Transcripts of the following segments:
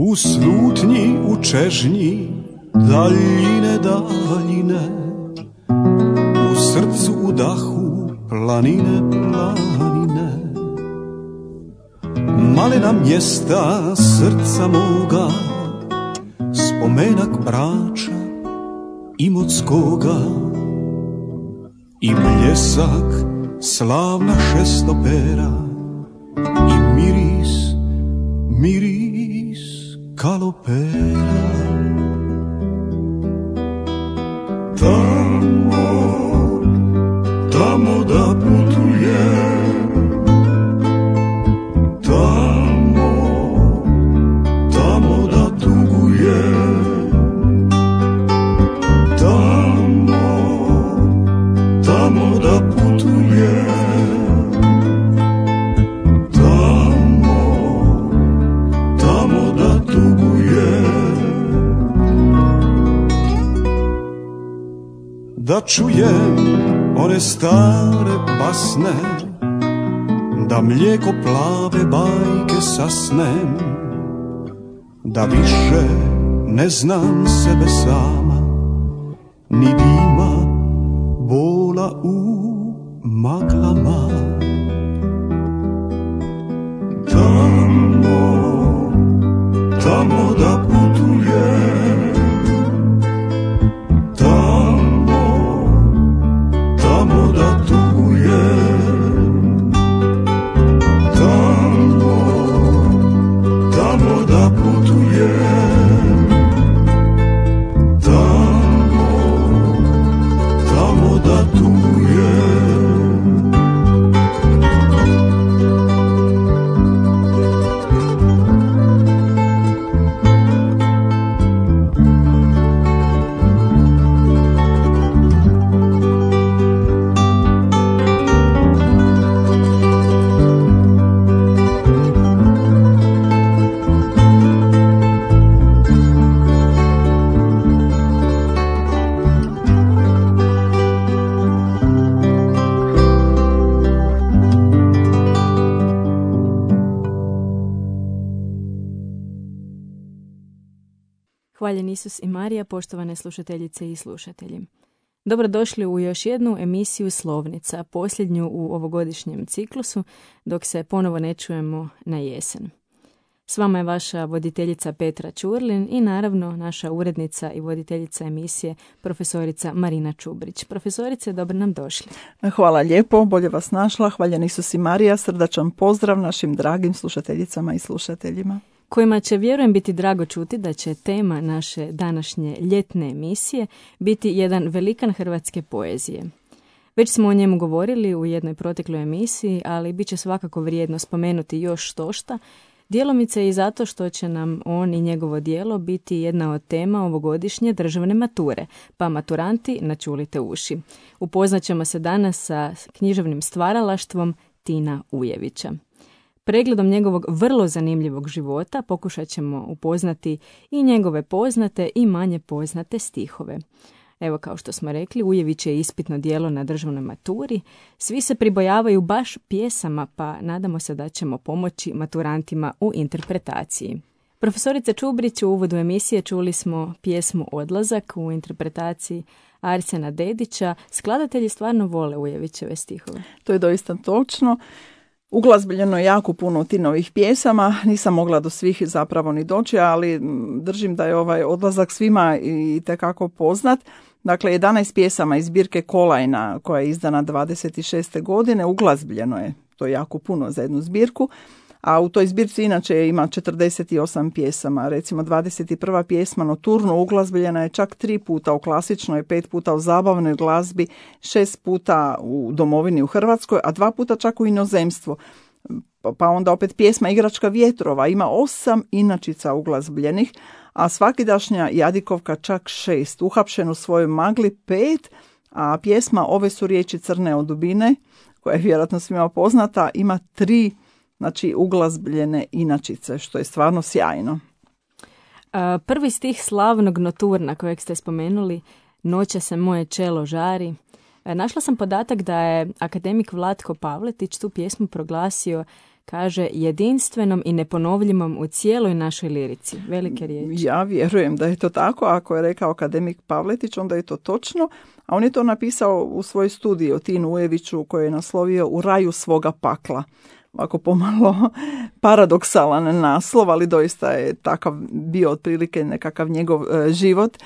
U slutnji, u čežnji, daljine, daljine, u srcu, u dahu, planine, planine. Malena mjesta srca moga, spomenak Brača, Imotskoga i bljesak slavna šestopera i miris, miris kalopera. Tamo, tamo da putujem, tamo, tamo da tugujem, tamo, tamo da putujem, tamo, tamo da tugujem. Da čujem one stare basne, da mlijeko plave bajke sasnem, da više ne znam sebe sama, ni dima bola u maglama. Tamo, tamo da putujem, tamo, tamo da tugujem, tamo, tamo da putujem, tamo, tamo da tugujem. Hvaljen Isus i Marija, poštovane slušateljice i slušatelji. Dobrodošli u još jednu emisiju Slovnica, posljednju u ovogodišnjem ciklusu, dok se ponovo ne čujemo na jesen. S vama je vaša voditeljica Petra Ćurlin i naravno naša urednica i voditeljica emisije profesorica Marina Čubrić. Profesorice, dobro nam došli. Hvala lijepo, bolje vas našla. Hvaljen Isus i Marija, srdačan pozdrav našim dragim slušateljicama i slušateljima, kojima će, vjerujem, biti drago čuti da će tema naše današnje ljetne emisije biti jedan velikan hrvatske poezije. Već smo o njemu govorili u jednoj protekloj emisiji, ali bit će svakako vrijedno spomenuti još štošta, djelomice i zato što će nam on i njegovo djelo biti jedna od tema ovogodišnje državne mature, pa maturanti načulite uši. Upoznat ćemo se danas sa književnim stvaralaštvom Tina Ujevića. Pregledom njegovog vrlo zanimljivog života pokušat ćemo upoznati i njegove poznate i manje poznate stihove. Evo, kao što smo rekli, Ujević je ispitno djelo na državnoj maturi. Svi se pribojavaju baš pjesama, pa nadamo se da ćemo pomoći maturantima u interpretaciji. Profesorice Čubrić, u uvodu emisije čuli smo pjesmu Odlazak u interpretaciji Arsena Dedića. Skladatelji stvarno vole Ujevićeve stihove. To je doista točno. Uglazbiljeno je jako puno Tinovih pjesama, nisam mogla do svih zapravo ni doći, ali držim da je ovaj Odlazak svima itekako poznat. Dakle, 11 pjesama iz zbirke Kolajna, koja je izdana 26. godine, uglazbiljeno je, to je jako puno za jednu zbirku, a u toj zbirci inače ima 48 pjesama. Recimo 21. pjesma Noturno uglazbiljena je čak 3 puta u klasičnoj, 5 puta u zabavnoj glazbi, 6 puta u domovini u Hrvatskoj, a 2 puta čak u inozemstvu. Pa onda opet pjesma Igračka vjetrova ima 8 inačica uglazbljenih, a svakidašnja Jadikovka čak 6, Uhapšen u svojoj magli 5, a pjesma Ove su riječi crne od dubine, koja je vjerojatno svima poznata, ima 3, znači uglazbljene inačice, što je stvarno sjajno. Prvi stih slavnog Noturna kojeg ste spomenuli, Noće se moje čelo žari. Našla sam podatak da je akademik Vlatko Pavletić tu pjesmu proglasio kaže jedinstvenom i neponovljivom u cijeloj našoj lirici. Velike riječi. Ja vjerujem da je to tako. Ako je rekao akademik Pavletić, onda je to točno. A on je to napisao u svojoj studiji o Tinu Ujeviću koji je naslovio U raju svoga pakla. Ovako pomalo paradoksalan naslov, ali doista je takav bio otprilike nekakav njegov život.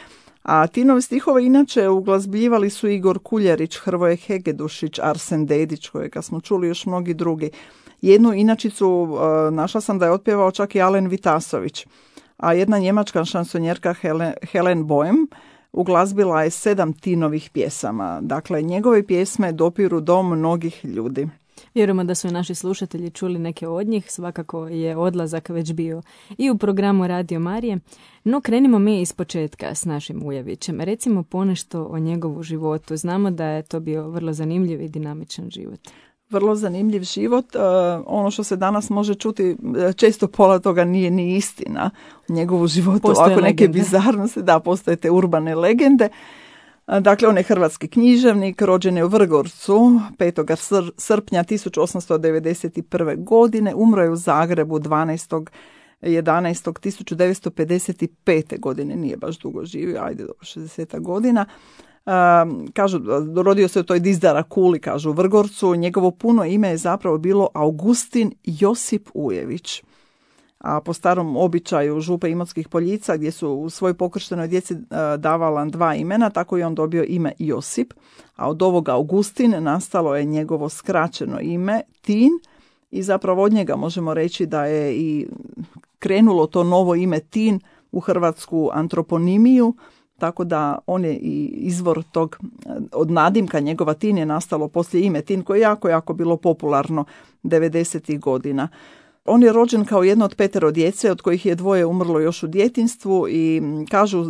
A Tinove stihove inače uglazbljivali su Igor Kuljarić, Hrvoje Hegedušić, Arsen Dedić, kojega smo čuli, još mnogi drugi. Jednu inačicu našla sam da je otpjevao čak i Alen Vitasović, a jedna njemačka šansonjerka Helen Boehm uglazbila je 7 Tinovih pjesama. Dakle, njegove pjesme dopiru do mnogih ljudi. Vjerujemo da su i naši slušatelji čuli neke od njih, svakako je odlazak već bio i u programu Radio Marije, no krenimo mi iz početka s našim Ujevićem. Recimo ponešto o njegovu životu. Znamo da je to bio vrlo zanimljiv i dinamičan život. Vrlo zanimljiv život. Ono što se danas može čuti, često pola toga nije ni istina u njegovu životu. Postoje ovako neke legende. bizarnosti, da, postoje te urbane legende. Dakle, on je hrvatski književnik, rođen je u Vrgorcu 5. srpnja 1891. godine, umro je u Zagrebu 12.11.1955. godine, nije baš dugo živio, ajde dobro 60 godina. Kažu, rodio se u toj Dizdara Kuli, kažu u Vrgorcu, njegovo puno ime je zapravo bilo Augustin Josip Ujević. A po starom običaju župe Imotskih Poljica, gdje su u svojoj pokrštenoj djeci davala 2 imena, tako je on dobio ime Josip, a od ovoga Augustin nastalo je njegovo skraćeno ime Tin i zapravo od njega možemo reći da je i krenulo to novo ime Tin u hrvatsku antroponimiju, tako da on je i izvor tog, od nadimka njegova Tin je nastalo poslije ime Tin, koje je jako bilo popularno 90. godina. On je rođen kao jedno od 5 djece, od kojih je 2 umrlo još u djetinjstvu i kažu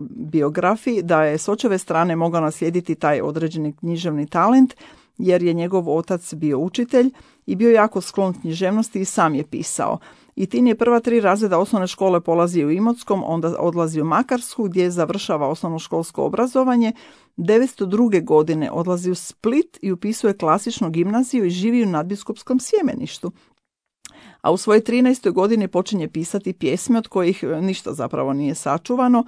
biografiji da je s očeve strane mogao naslijediti taj određeni književni talent, jer je njegov otac bio učitelj i bio jako sklon književnosti i sam je pisao. I Tin je prva 3 razreda osnovne škole polazio u Imotskom, onda odlazi u Makarsku gdje završava osnovnoškolsko obrazovanje. 1902. godine odlazi u Split i upisuje klasičnu gimnaziju i živi u nadbiskupskom Sjemeništu. A u svojoj 13. godini počinje pisati pjesme od kojih ništa zapravo nije sačuvano.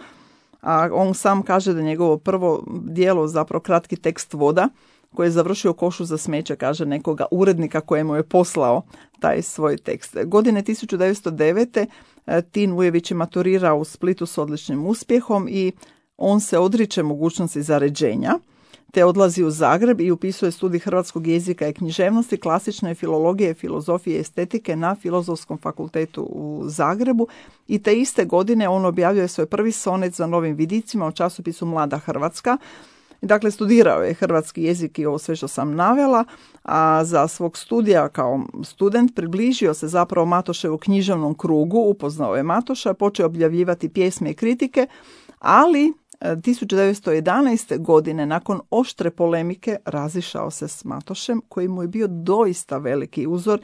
A on sam kaže da njegovo prvo djelo, zapravo kratki tekst Voda, koji je završio u košu za smeće, kaže nekoga urednika kojemu je poslao taj svoj tekst. Godine 1909. Tin Ujević je maturirao u Splitu s odličnim uspjehom i on se odriče mogućnosti zaređenja, te odlazi u Zagreb i upisuje studij hrvatskog jezika i književnosti, klasične filologije, filozofije i estetike na Filozofskom fakultetu u Zagrebu i te iste godine on objavljuje svoj prvi sonet za Novim vidicima u časopisu Mlada Hrvatska. Dakle, studirao je hrvatski jezik i ovo sve što sam navela, a za svog studija kao student približio se zapravo Matoševu književnom krugu, upoznao je Matoša, počeo objavljivati pjesme i kritike, ali 1911. godine nakon oštre polemike razišao se s Matošem koji mu je bio doista veliki uzor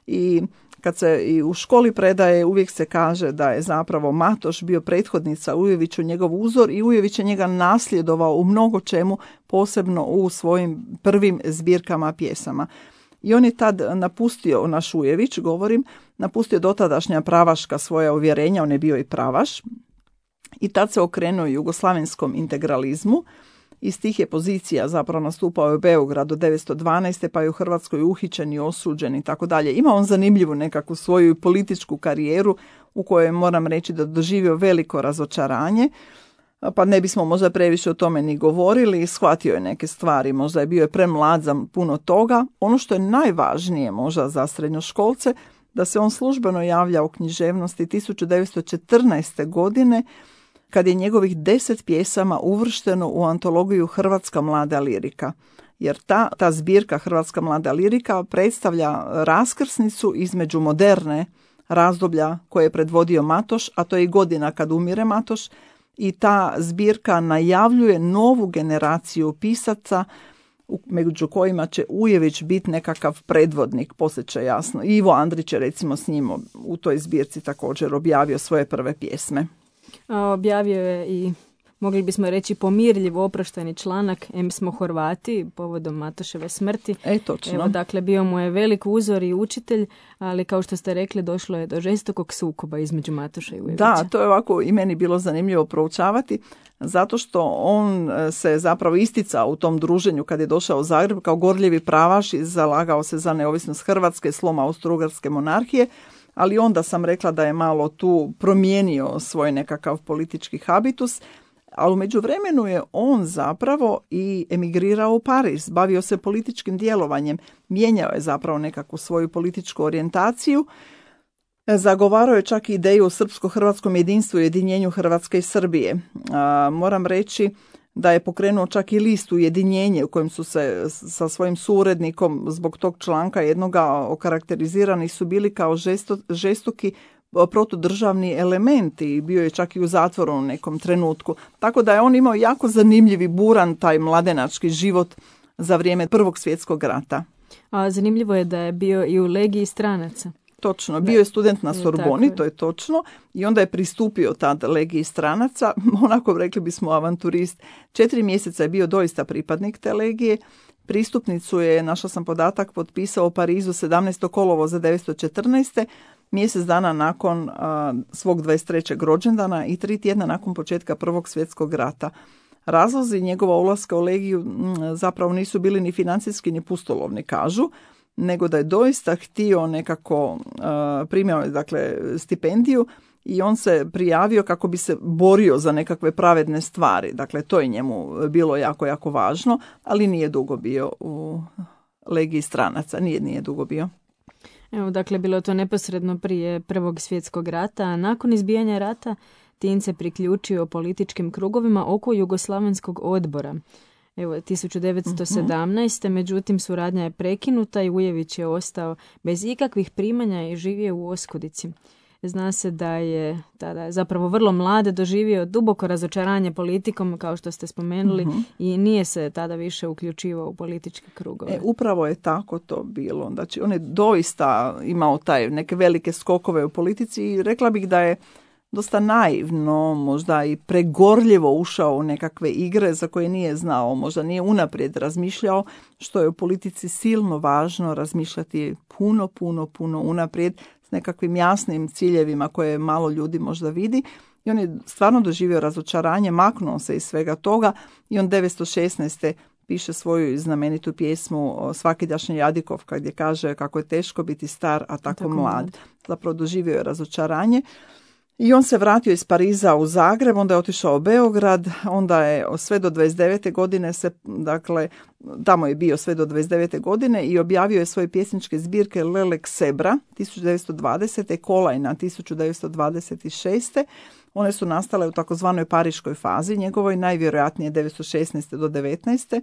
i kad se i u školi predaje uvijek se kaže da je zapravo Matoš bio prethodnica Ujeviću njegov uzor i Ujević je njega nasljedovao u mnogo čemu, posebno u svojim prvim zbirkama pjesama. I on je tad napustio, naš Ujević, napustio dotadašnja pravaška svoja uvjerenja, on je bio i pravaš, i tad se okrenuo jugoslavenskom integralizmu. Iz tih je pozicija zapravo nastupao u Beogradu 1912. pa je u Hrvatskoj uhićen i osuđen i tako dalje. Ima on zanimljivu nekakvu svoju političku karijeru u kojoj moram reći da doživio veliko razočaranje, pa ne bismo možda previše o tome ni govorili, shvatio je neke stvari, možda je bio je premlad za puno toga. Ono što je najvažnije možda za srednjoškolce, da se on službeno javlja u književnosti 1914. godine, kad je njegovih 10 pjesama uvršteno u antologiju Hrvatska mlada lirika. Jer ta zbirka Hrvatska mlada lirika predstavlja raskrsnicu između moderne razdoblja koje je predvodio Matoš, a to je i godina kad umire Matoš, i ta zbirka najavljuje novu generaciju pisaca među kojima će Ujević biti nekakav predvodnik, poslije će jasno. Ivo Andrić je recimo s njim u toj zbirci također objavio svoje prve pjesme. Objavio je i mogli bismo reći pomirljiv oprošteni članak Em smo Horvati povodom Matoševe smrti. Točno. Evo, dakle, bio mu je velik uzor i učitelj, ali kao što ste rekli, došlo je do žestokog sukoba između Matoša i Ujevića. Da, to je ovako i meni bilo zanimljivo proučavati, zato što on se zapravo isticao u tom druženju kad je došao u Zagreb kao gorljivi pravaš i zalagao se za neovisnost Hrvatske, slom Austro-Ugarske monarhije, ali onda sam rekla da je malo tu promijenio svoj nekakav politički habitus, ali u međuvremenu je on zapravo i emigrirao u Pariz, bavio se političkim djelovanjem, mijenjao je zapravo nekakvu svoju političku orijentaciju, zagovarao je čak i ideju o srpsko-hrvatskom jedinstvu i ujedinjenju Hrvatske i Srbije. Moram reći da je pokrenuo čak i listu Ujedinjenje u kojem su se sa svojim suradnikom zbog tog članka jednoga okarakterizirani su bili kao žestoki protudržavni elementi i bio je čak i u zatvoru u nekom trenutku. Tako da je on imao jako zanimljivi buran taj mladenački život za vrijeme Prvog svjetskog rata. A zanimljivo je da je bio i u legiji stranaca. Točno, bio je student na Sorboni, to je točno, i onda je pristupio tad legiji stranaca, onako rekli bismo avanturist. 4 mjeseca je bio doista pripadnik te legije. Pristupnicu je, našla sam podatak, potpisao u Parizu 17. kolovoza 1914. mjesec dana nakon svog 23. rođendana i 3 tjedna nakon početka Prvog svjetskog rata. Razlozi njegova ulaska u legiju zapravo nisu bili ni financijski ni pustolovni, kažu, nego da je doista htio nekako, primio je dakle stipendiju i on se prijavio kako bi se borio za nekakve pravedne stvari. Dakle, to je njemu bilo jako, jako važno, ali nije dugo bio u legiji stranaca, nije dugo bio. Evo, dakle, bilo to neposredno prije Prvog svjetskog rata, a nakon izbijanja rata Tin se priključio političkim krugovima oko Jugoslavenskog odbora. Evo, 1917. Međutim, suradnja je prekinuta i Ujević je ostao bez ikakvih primanja i živio u oskudici. Zna se da je tada zapravo vrlo mlad doživio duboko razočaranje politikom, kao što ste spomenuli, i nije se tada više uključivao u političke krugove. Upravo je tako to bilo. Znači, on je doista imao neke velike skokove u politici i rekla bih da je dosta naivno, možda i pregorljivo ušao u nekakve igre za koje nije znao, možda nije unaprijed razmišljao, što je u politici silno važno razmišljati puno unaprijed s nekakvim jasnim ciljevima koje malo ljudi možda vidi. I on je stvarno doživio razočaranje, maknuo se iz svega toga i on 1916. piše svoju znamenitu pjesmu Svakidašnja Jadikovka gdje kaže kako je teško biti star, a tako mlad. Zapravo doživio je razočaranje. I on se vratio iz Pariza u Zagreb, onda je otišao u Beograd, onda je sve do 29. godine tamo je bio sve do 29. godine i objavio je svoje pjesničke zbirke Lelek Sebra 1920. Kolajna 1926. One su nastale u takozvanoj pariškoj fazi, njegovoj najvjerojatnije 1916. do 19.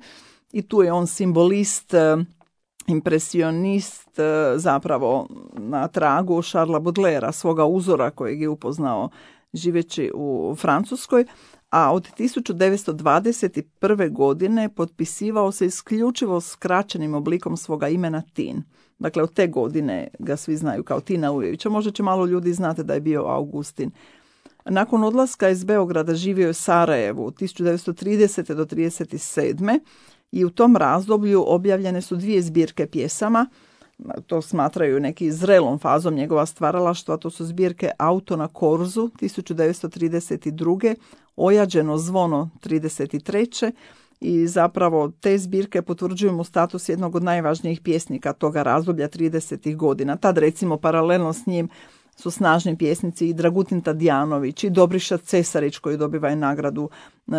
I tu je on simbolist, impresionist, zapravo na tragu Charlesa Baudelairea, svoga uzora kojeg je upoznao živeći u Francuskoj, a od 1921. godine potpisivao se isključivo skraćenim oblikom svoga imena Tin. Dakle, od te godine ga svi znaju kao Tina Ujevića. Možda će malo ljudi znati da je bio Augustin. Nakon odlaska iz Beograda živio je u Sarajevu od 1930. do 1937. I u tom razdoblju objavljene su 2 zbirke pjesama, to smatraju neki zrelom fazom njegova stvaralaštva, to su zbirke Auto na Korzu 1932. Ojađeno zvono 1933. I zapravo te zbirke potvrđuju mu status jednog od najvažnijih pjesnika toga razdoblja 30. godina. Tad recimo paralelno s njim su snažni pjesnici i Dragutin Tadijanović i Dobriša Cesarić koji dobiva i nagradu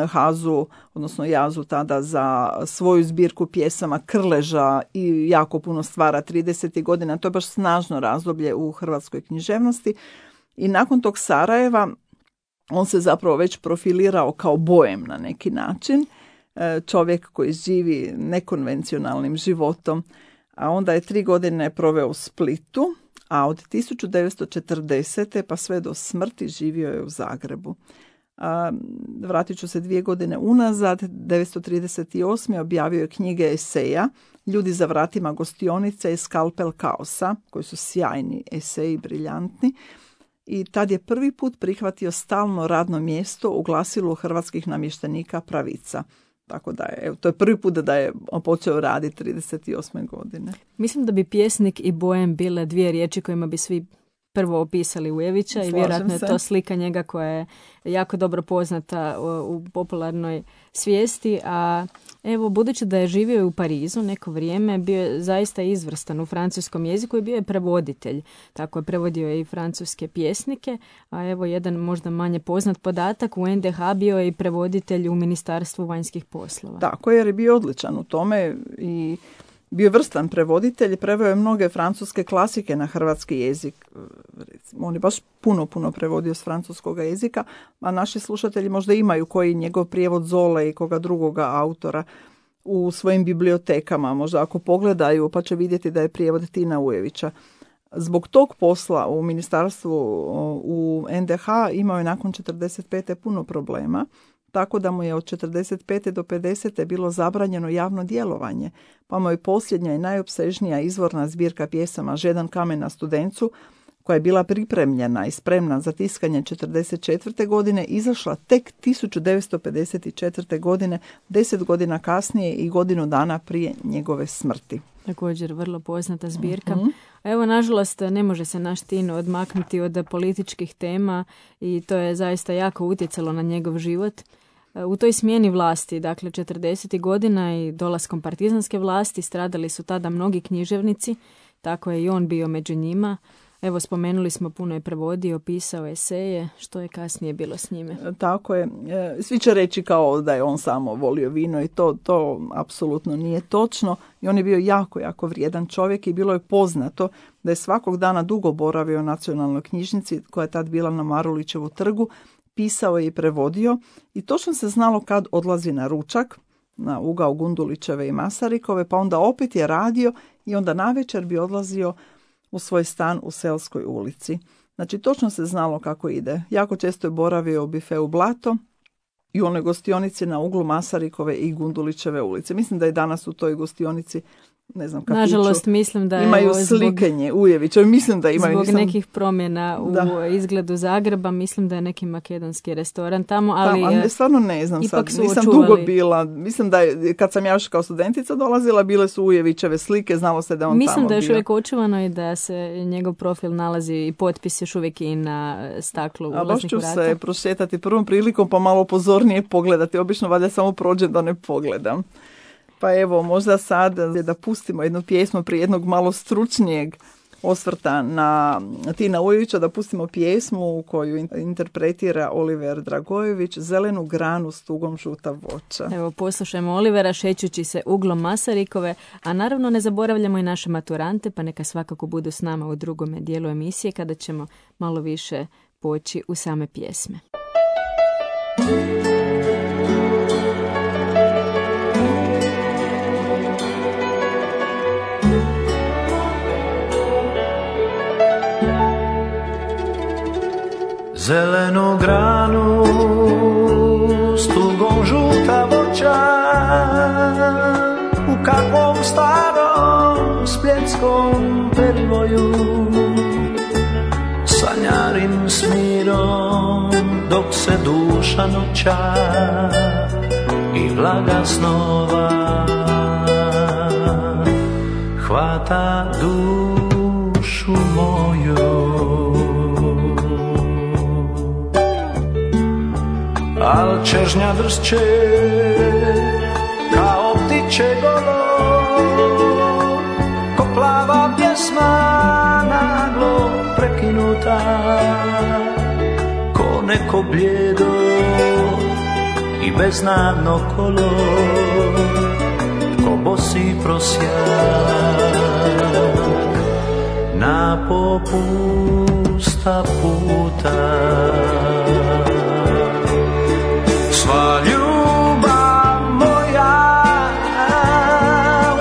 Hazu, odnosno Jazu tada za svoju zbirku pjesama Krleža i jako puno stvara 30. godina. To je baš snažno razdoblje u hrvatskoj književnosti. I nakon tog Sarajeva on se zapravo već profilirao kao boem na neki način, čovjek koji živi nekonvencionalnim životom. A onda je 3 godine proveo u Splitu, a od 1940. pa sve do smrti živio je u Zagrebu. Vratit ću se 2 godine unazad, 1938. objavio je knjige eseja Ljudi za vratima gostionice i Skalpel kaosa, koji su sjajni eseji, briljantni. i tad je prvi put prihvatio stalno radno mjesto u glasilu hrvatskih namještenika Pravica. Tako da je, to je prvi put da je počeo raditi 38. godine. Mislim da bi pjesnik i boem bile dvije riječi kojima bi svi prvo opisali Ujevića i vjerojatno je to slika njega koja je jako dobro poznata u popularnoj svijesti, a evo, budući da je živio u Parizu neko vrijeme, bio je zaista izvrstan u francuskom jeziku i bio je prevoditelj. Tako je prevodio i francuske pjesnike, a evo jedan možda manje poznat podatak, u NDH bio je i prevoditelj u Ministarstvu vanjskih poslova. Tako, jer je bio odličan u tome i bio vrstan prevoditelj, preveo je mnoge francuske klasike na hrvatski jezik. On je baš puno prevodio s francuskog jezika, a naši slušatelji možda imaju koji njegov prijevod Zole i koga drugoga autora u svojim bibliotekama. Možda ako pogledaju pa će vidjeti da je prijevod Tina Ujevića. Zbog tog posla u ministarstvu u NDH imao je nakon 45. puno problema, tako da mu je od 45. do 50. bilo zabranjeno javno djelovanje, pa mu je posljednja i najopsežnija izvorna zbirka pjesama Žedan kamen na Studencu, koja je bila pripremljena i spremna za tiskanje 44. godine, izašla tek 1954. godine, 10 godina kasnije i godinu dana prije njegove smrti. Također vrlo poznata zbirka. Evo, nažalost, ne može se naš Tino odmaknuti od političkih tema i to je zaista jako utjecalo na njegov život. U toj smjeni vlasti, dakle 40. godina i dolaskom partizanske vlasti, stradali su tada mnogi književnici, tako je i on bio među njima. Evo, spomenuli smo, puno je prevodio, pisao eseje, što je kasnije bilo s njime. Tako je. Svi će reći kao da je on samo volio vino i to apsolutno nije točno. I on je bio jako vrijedan čovjek i bilo je poznato da je svakog dana dugo boravio u nacionalnoj knjižnici koja je tad bila na Marulićevu trgu, pisao je i prevodio i točno se znalo kad odlazi na ručak, na ugao Gundulićeve i Masarikove, pa onda opet je radio i onda navečer bi odlazio u svoj stan u Selskoj ulici. Znači, točno se znalo kako ide. Jako često je boravio u bifeu Blato i u onoj gostionici na uglu Masarikove i Gundulićeve ulice. Mislim da je danas u toj gostionici, ne znam, kafiću, nažalost, mislim da imaju slikenje Ujevića. Mislim da imaju. Zbog nekih promjena u izgledu Zagreba, mislim da je neki makedonski restoran tamo, ali stvarno ne znam sad. Nisam dugo bila. Mislim da je, kad sam ja još kao studentica dolazila, bile su Ujevićeve slike, znalo se da on tamo bio. Mislim da je još uvijek očuvano i da se njegov profil nalazi i potpis još uvijek i na staklu ulaznih vrata. Baš ću se prošetati prvom prilikom pa malo pozornije pogledati. Obično valjda samo prođem da ne pogledam. Pa evo, možda sad da pustimo jednu pjesmu prije jednog malo stručnijeg osvrta na Tina Ujevića, da pustimo pjesmu koju interpretira Oliver Dragojević, Zelenu granu s tugom žuta voća. Evo, poslušajmo Olivera šećući se uglom Masarikove, a naravno ne zaboravljamo i naše maturante, pa neka svakako budu s nama u drugome dijelu emisije kada ćemo malo više poći u same pjesme. Zelenu granu s tugom žuta voća, u kakvom starom spletskom perivoju sanjarim s mirom dok se duša noća i vlaga snova hvata dušu moju. Al čežnja dršće kao ptiće golo, ko plava pjesma naglo prekinuta, ko neko bljedo i beznadno kolo, ko bosi prosjak na popusta puta. Sva ljubav moja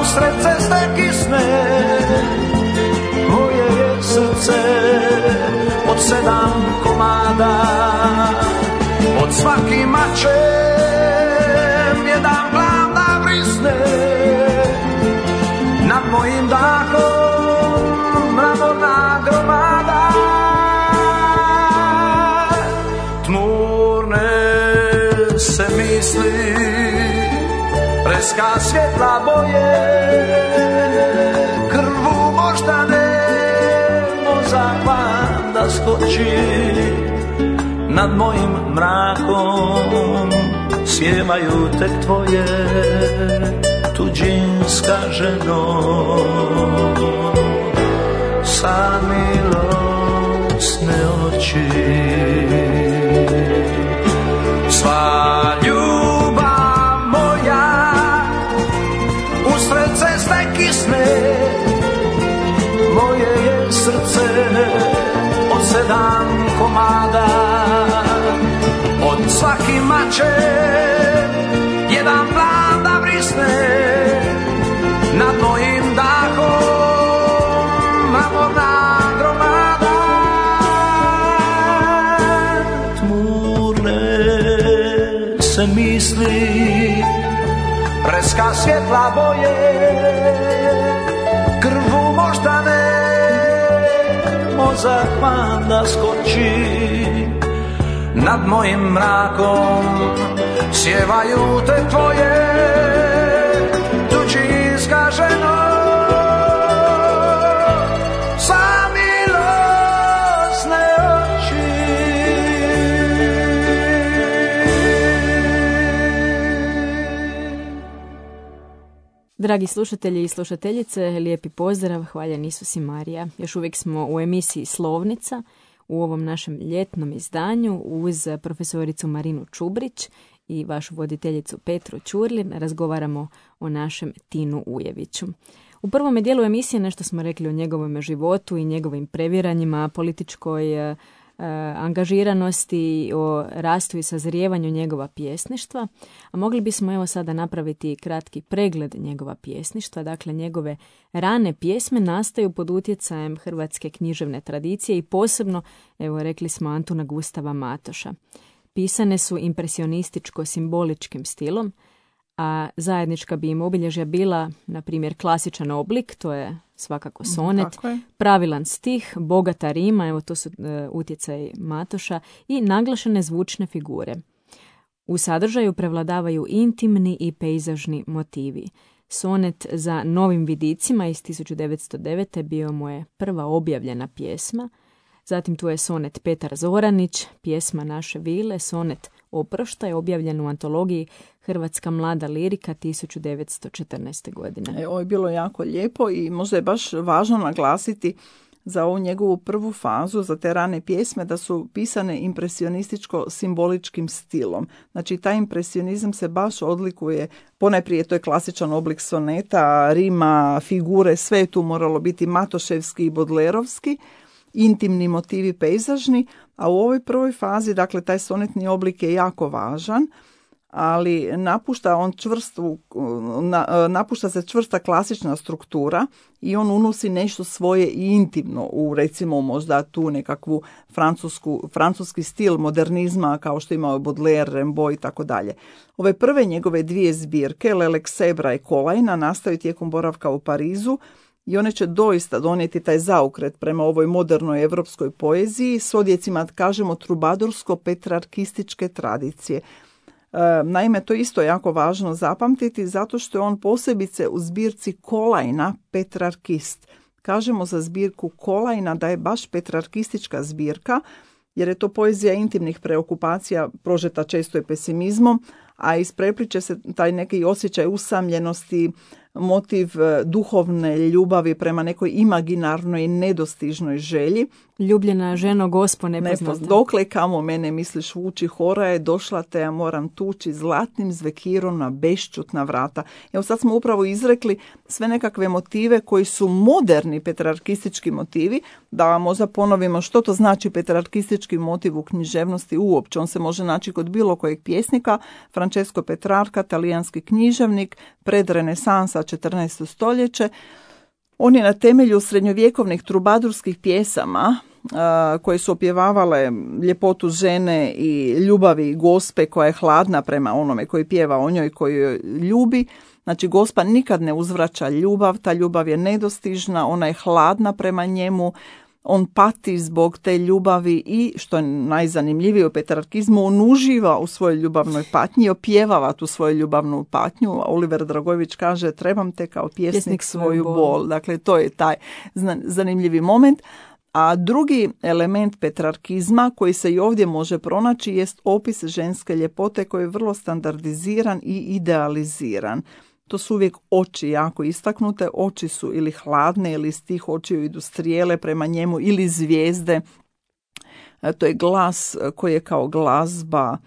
usred ceste kisne, moje je srce od 7 komada, od svaki mačem jedan glav da vrisne, nad mojim dahom mramorna gromada. misli, preska svjetla boje, krvu moždane, mozak van da skoči, nad mojim mrakom sjevaju tek tvoje tuđinska ženo, sa milosne oči. Sva ljubav moja usred ceste kisne, moje je srce od 7 komada, od svaki mače jedan plan da vrisne, nad mojim dahom amorna gromada. Tmurne se misli, preska svjetla boje, krvu moždane, mozak van da skoči, nad mojim mrakom sjevaju te tvoje tuđinska ženo, sa milosne oči. Dragi slušatelji i slušateljice, lijepi pozdrav, hvaljen Isus i Marija. Još uvijek smo u emisiji Slovnica, u ovom našem ljetnom izdanju uz profesoricu Marinu Čubrić i vašu voditeljicu Petru Ćurlin razgovaramo o našem Tinu Ujeviću. U prvom dijelu emisije nešto smo rekli o njegovom životu i njegovim previranjima, političkoj angažiranosti, o rastu i sazrijevanju njegova pjesništva, a mogli bismo evo sada napraviti kratki pregled njegova pjesništva. Dakle, njegove rane pjesme nastaju pod utjecajem hrvatske književne tradicije i posebno, evo rekli smo, Antuna Gustava Matoša. Pisane su impresionističko-simboličkim stilom, a zajednička bi im obilježja bila, na primjer, klasičan oblik, to je svakako sonet, pravilan stih, bogata rima, evo to su utjecaj Matoša, i naglašene zvučne figure. U sadržaju prevladavaju intimni i pejzažni motivi. Sonet za novim vidicima iz 1909. bio mu je prva objavljena pjesma. Zatim tu je sonet Petar Zoranić, pjesma Naše vile, sonet Oproštaj, objavljen u antologiji Hrvatska mlada lirika 1914. godine. Ovo je bilo jako lijepo i možda je baš važno naglasiti za ovu njegovu prvu fazu, za te rane pjesme, da su pisane impresionističko-simboličkim stilom. Znači, taj impresionizam se baš odlikuje, ponajprije to je klasičan oblik soneta, rima, figure, sve je tu moralo biti matoševski i bodlerovski, intimni motivi pejzažni, a u ovoj prvoj fazi, dakle, taj sonetni oblik je jako važan, ali napušta se čvrsta klasična struktura i on unosi nešto svoje i intimno u, recimo, možda tu nekakvu francuski stil modernizma kao što imao Baudelaire, Rimbaud i tako dalje. Ove prve njegove dvije zbirke, L'Alexebra i Kolajna, nastaju tijekom boravka u Parizu i one će doista donijeti taj zaokret prema ovoj modernoj evropskoj poeziji s odjecima, kažemo, trubadursko-petrarkističke tradicije. Naime, to je isto jako važno zapamtiti zato što je on posebice u zbirci Kolajna petrarkist. Kažemo za zbirku Kolajna da je baš petrarkistička zbirka jer je to poezija intimnih preokupacija prožeta često i pesimizmom, a isprepliče se taj neki osjećaj usamljenosti, motiv duhovne ljubavi prema nekoj imaginarnoj i nedostižnoj želji. Ljubljena ženo gospo nepoznata. Dokle kamo mene misliš vuči, hora je došla te ja moram tući zlatnim zvekirom na bešćutna vrata. Evo sad smo upravo izrekli sve nekakve motive koji su moderni petrarkistički motivi. Da vam možda ponovimo što to znači petrarkistički motiv u književnosti uopće. On se može naći kod bilo kojeg pjesnika. Francesco Petrarca, talijanski književnik, pred renesansa 14. stoljeće. On je na temelju srednjovjekovnih trubadurskih pjesama koje su opjevavale ljepotu žene i ljubavi gospe koja je hladna prema onome koji pjeva o njoj, koju joj ljubi. Znači, gospa nikad ne uzvraća ljubav, ta ljubav je nedostižna, ona je hladna prema njemu, on pati zbog te ljubavi i, što je najzanimljivije u petrarkizmu, on uživa u svojoj ljubavnoj patnji i opjevava tu svoju ljubavnu patnju. Oliver Dragojević kaže, trebam te kao pjesnik svoju bol. Dakle, to je taj zanimljivi moment. A drugi element petrarkizma koji se i ovdje može pronaći jest opis ženske ljepote koji je vrlo standardiziran i idealiziran. To su uvijek oči jako istaknute, oči su ili hladne ili iz tih očiju idu strijele prema njemu ili zvijezde. To je glas koji je kao glazba,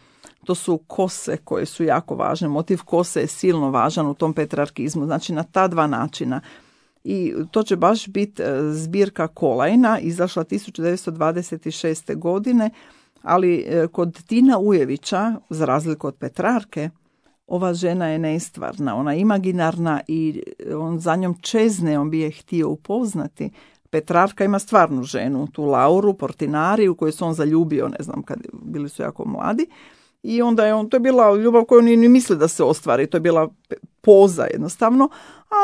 to su kose koje su jako važne. Motiv kose je silno važan u tom petrarkizmu, znači na ta dva načina. I to će baš biti zbirka Kolajna, izašla 1926. godine, ali kod Tina Ujevića, za razliku od Petrarke, ova žena je nestvarna, ona je imaginarna i on za njom čezne, on bi je htio upoznati. Petrarka ima stvarnu ženu, tu Lauru Portinari, u kojoj se on zaljubio, ne znam, kad bili su jako mladi. I onda je to je bila ljubav koju ni misli da se ostvari, to je bila poza jednostavno,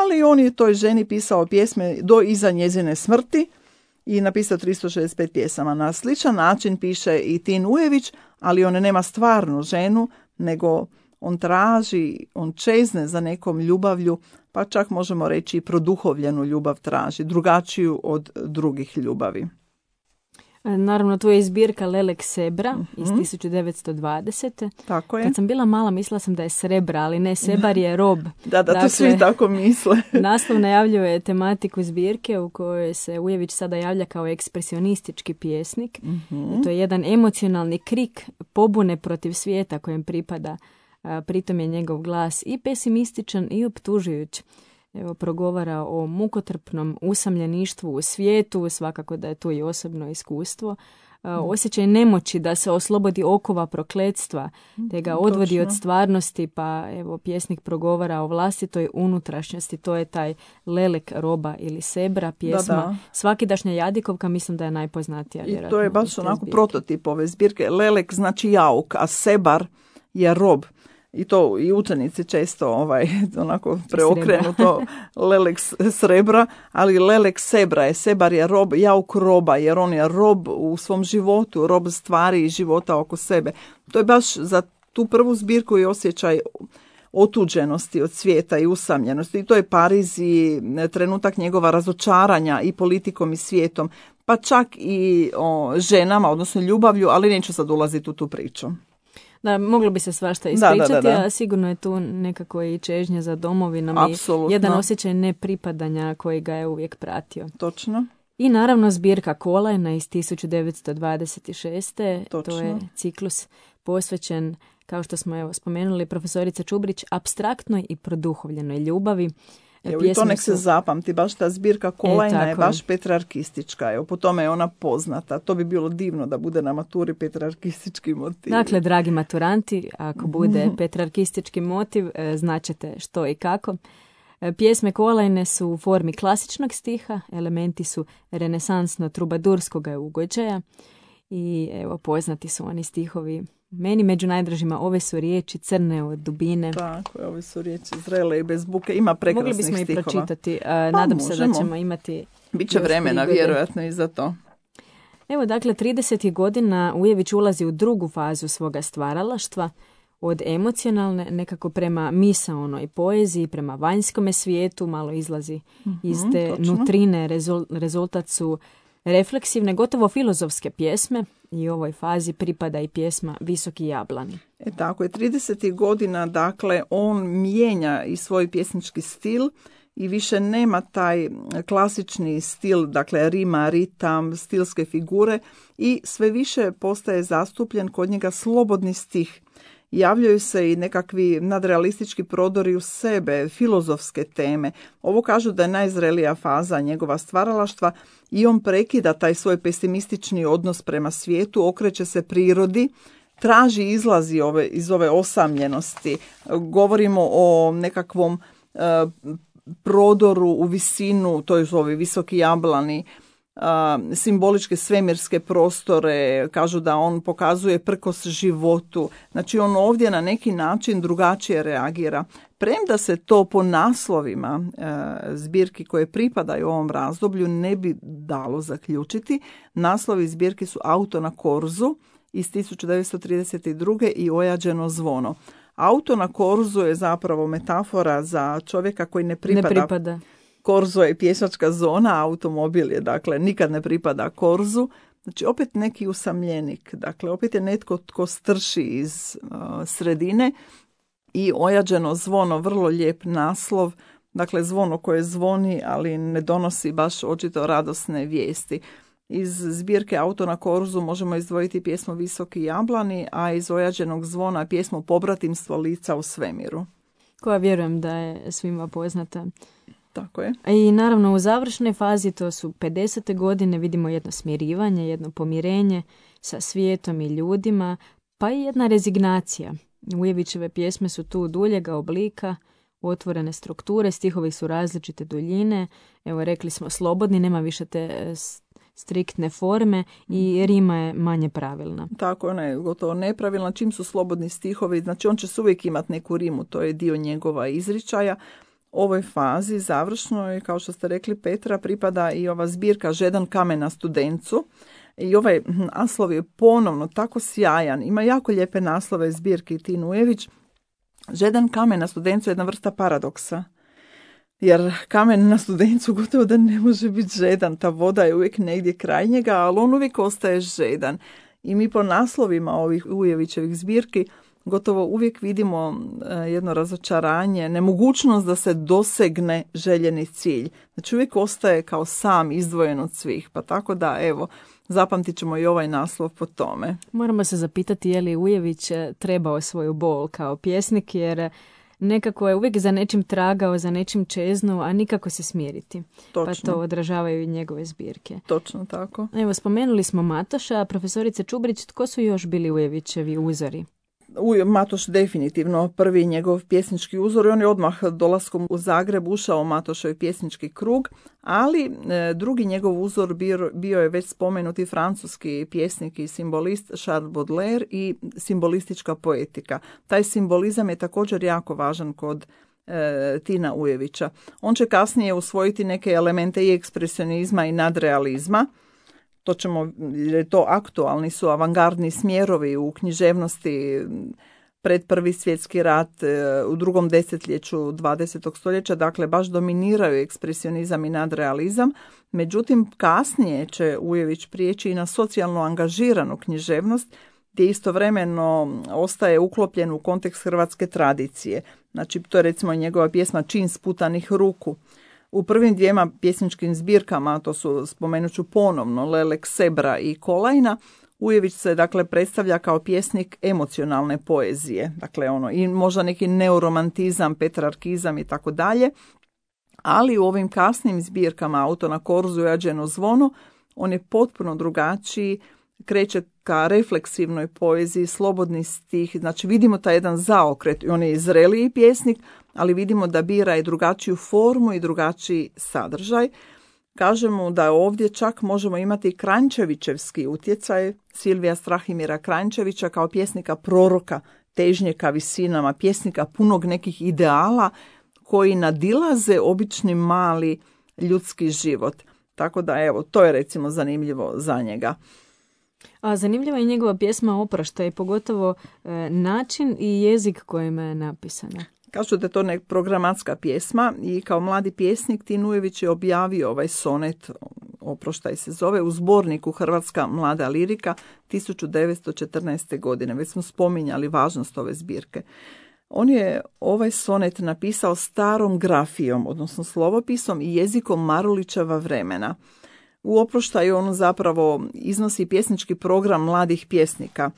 ali on je toj ženi pisao pjesme do iza njezine smrti i napisao 365 pjesama. Na sličan način piše i Tin Ujević, ali on nema stvarnu ženu, nego on traži, on čezne za nekom ljubavlju, pa čak možemo reći i produhovljenu ljubav traži, drugačiju od drugih ljubavi. Naravno, tu je zbirka Lelek Sebra iz 1920. Tako je. Kad sam bila mala, mislila sam da je srebra, ali ne, sebar je rob. Da, dakle, to svi tako misle. Naslov najavljuje tematiku zbirke u kojoj se Ujević sada javlja kao ekspresionistički pjesnik. To je jedan emocionalni krik pobune protiv svijeta kojem pripada. Pritom je njegov glas i pesimističan i optužujuć. Evo, progovara o mukotrpnom usamljeništvu u svijetu, svakako da je tu i osobno iskustvo. Osjećaj nemoći da se oslobodi okova prokletstva, te ga odvodi od stvarnosti, pa evo, pjesnik progovara o vlastitoj unutrašnjosti. To je taj Lelek roba ili Sebra pjesma. Da. Svakidašnja Jadikovka mislim da je najpoznatija. I to je baš onako prototip ove zbirke. Lelek znači jauk, a Sebar je rob. I to i učenici često onako preokrenu to Lelek srebra, ali Lelek Sebra je, Sebar je rob, jauk roba, jer on je rob u svom životu, rob stvari i života oko sebe. To je baš za tu prvu zbirku i osjećaj otuđenosti od svijeta i usamljenosti. I to je Pariz i trenutak njegova razočaranja i politikom i svijetom, pa čak i o ženama, odnosno ljubavlju, ali neću sad ulaziti u tu priču. Da, moglo bi se svašta ispričati, da. a sigurno je tu nekako i čežnja za domovinom i jedan osjećaj nepripadanja koji ga je uvijek pratio. Točno. I naravno zbirka Kolajna iz 1926. Točno. To je ciklus posvećen, kao što smo spomenuli, profesorica Čubrić, apstraktnoj i produhovljenoj ljubavi. Evo, i to nek se zapamti, baš ta zbirka Kolajna je baš petrarkistička, evo, po tome je ona poznata. To bi bilo divno da bude na maturi petrarkistički motiv. Dakle, dragi maturanti, ako bude petrarkistički motiv, značete što i kako. Pjesme Kolajne su u formi klasičnog stiha, elementi su renesansno-trubadurskog ugođaja i evo, poznati su oni stihovi. Meni među najdražima ove su riječi crne od dubine. Tako, ove su riječi zrele i bez buke. Ima prekrasnih stihova. Mogli bismo i pročitati. Nadam se da ćemo imati... Biće vremena, vjerojatno, i za to. Evo, dakle, 30. godina Ujević ulazi u drugu fazu svoga stvaralaštva, od emocionalne nekako prema misaonoj poeziji, prema vanjskome svijetu, malo izlazi iz te nutrine, rezultat su refleksivne, gotovo filozofske pjesme i ovoj fazi pripada i pjesma Visoki jablani. Tako je, 30. godina, dakle, on mijenja i svoj pjesnički stil i više nema taj klasični stil, dakle, rima, ritam, stilske figure i sve više postaje zastupljen kod njega slobodni stih. Javljaju se i nekakvi nadrealistički prodori u sebe, filozofske teme. Ovo kažu da je najzrelija faza njegova stvaralaštva i on prekida taj svoj pesimistični odnos prema svijetu, okreće se prirodi, traži izlazi iz ove osamljenosti. Govorimo o nekakvom prodoru u visinu, to je ovi visoki jablani. simboličke svemirske prostore, kažu da on pokazuje prkos životu. Znači on ovdje na neki način drugačije reagira. Premda se to po naslovima zbirki koje pripadaju ovom razdoblju ne bi dalo zaključiti, naslovi zbirki su Auto na korzu iz 1932. i Ojađeno zvono. Auto na korzu je zapravo metafora za čovjeka koji ne pripada. Korzo je pješačka zona, automobil je, dakle, nikad ne pripada korzu. Znači, opet neki usamljenik, dakle, opet je netko tko strši iz sredine. I Ojađeno zvono, vrlo lijep naslov, dakle, zvono koje zvoni, ali ne donosi baš očito radosne vijesti. Iz zbirke Auto na korzu možemo izdvojiti pjesmu Visoki jablani, a iz Ojađenog zvona pjesmu Pobratimstvo lica u svemiru. Koja vjerujem da je svima poznata. Tako je. I naravno u završnoj fazi, to su 50. godine, vidimo jedno smirivanje, jedno pomirenje sa svijetom i ljudima, pa i jedna rezignacija. Ujevićeve pjesme su tu duljega oblika, otvorene strukture, stihovi su različite duljine, evo rekli smo slobodni, nema više te striktne forme i rima je manje pravilna. Tako, ona je gotovo nepravilna. Čim su slobodni stihovi, znači on će uvijek imati neku rimu, to je dio njegova izričaja. Ovoj fazi završnoj, kao što ste rekli, Petra, pripada i ova zbirka Žedan kamen na studencu. I ovaj naslov je ponovno tako sjajan. Ima jako lijepe naslove zbirke Tin Ujević. Žedan kamen na studencu je jedna vrsta paradoksa. Jer kamen na studencu gotovo da ne može biti žedan. Ta voda je uvijek negdje kraj njega, ali on uvijek ostaje žedan. I mi po naslovima ovih Ujevićevih zbirki gotovo uvijek vidimo jedno razočaranje, nemogućnost da se dosegne željeni cilj. Znači uvijek ostaje kao sam izdvojen od svih. Pa tako da, evo, zapamtit ćemo i ovaj naslov po tome. Moramo se zapitati je li Ujević trebao svoju bol kao pjesnik, jer nekako je uvijek za nečim tragao, za nečim čeznuo, a nikako se smiriti. Točno. Pa to odražavaju i njegove zbirke. Točno tako. Evo, spomenuli smo Matoša, profesorice Čubrić, tko su još bili Ujevićevi uzori? Matoš definitivno prvi njegov pjesnički uzor i on je odmah dolaskom u Zagreb ušao u Matošev pjesnički krug, ali drugi njegov uzor bio je već spomenuti francuski pjesnik i simbolist Charles Baudelaire i simbolistička poetika. Taj simbolizam je također jako važan kod Tina Ujevića. On će kasnije usvojiti neke elemente i ekspresionizma i nadrealizma. To ćemo, jer to aktualni su avangardni smjerovi u književnosti pred Prvi svjetski rat, u drugom desetljeću 20. stoljeća, dakle baš dominiraju ekspresionizam i nadrealizam. Međutim, kasnije će Ujević prijeći i na socijalno angažiranu književnost, gdje istovremeno ostaje uklopljen u kontekst hrvatske tradicije. Znači, to je recimo njegova pjesma Čin sputanih ruku. U prvim dvijema pjesničkim zbirkama, to su, spomenut ću ponovno, Lelek, Sebra i Kolajna, Ujević se dakle predstavlja kao pjesnik emocionalne poezije, dakle ono i možda neki neoromantizam, petrarkizam i tako dalje, ali u ovim kasnim zbirkama Auto na korzu i Ojađeno zvono on je potpuno drugačiji, kreće ka refleksivnoj poeziji, slobodni stih, znači vidimo taj jedan zaokret, on je zreliji pjesnik, ali vidimo da bira i drugačiju formu i drugačiji sadržaj. Kažemo da ovdje čak možemo imati Kranjčevićevski utjecaj Silvija Strahimira Kranjčevića kao pjesnika proroka, težnje ka visinama, pjesnika punog nekih ideala koji nadilaze obični mali ljudski život. Tako da evo, to je recimo zanimljivo za njega. A zanimljiva je njegova pjesma Oproštaj, pogotovo način i jezik kojima je napisana. Kažu da je to programatska pjesma i kao mladi pjesnik Tin Ujević je objavio ovaj sonet, Oproštaj se zove, u zborniku Hrvatska mlada lirika 1914. godine. Već smo spominjali važnost ove zbirke. On je ovaj sonet napisao starom grafijom, odnosno slovopisom i jezikom Marulićeva vremena. U Oproštaju on zapravo iznosi pjesnički program mladih pjesnika.